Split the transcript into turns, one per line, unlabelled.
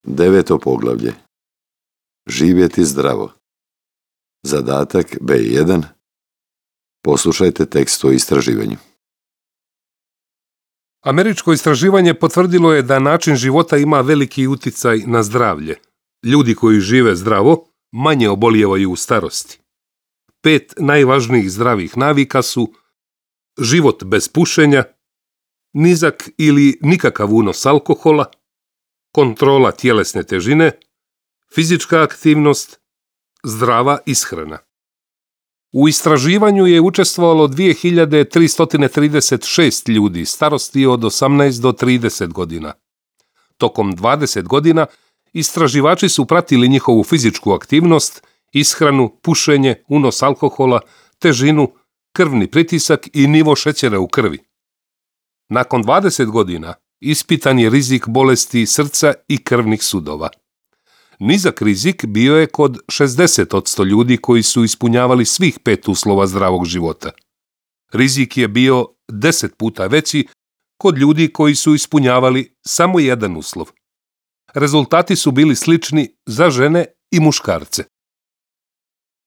Deveto poglavlje. Živjeti zdravo. Zadatak B1. Poslušajte tekst o istraživanju.
Američko istraživanje potvrdilo je da način života ima veliki uticaj na zdravlje. Ljudi koji žive zdravo manje obolijevaju u starosti. 5 najvažnijih zdravih navika su život bez pušenja, nizak ili nikakav unos alkohola, kontrola tjelesne težine, fizička aktivnost, zdrava ishrana. U istraživanju je učestvovalo 2336 ljudi starosti od 18 do 30 godina. Tokom 20 godina istraživači su pratili njihovu fizičku aktivnost, ishranu, pušenje, unos alkohola, težinu, krvni pritisak i nivo šećera u krvi. Nakon 20 godina ispitan je rizik bolesti srca i krvnih sudova. Nizak rizik bio je kod 60% ljudi koji su ispunjavali svih 5 uslova zdravog života. Rizik je bio 10 puta veći kod ljudi koji su ispunjavali samo jedan uslov. Rezultati su bili slični za žene i muškarce.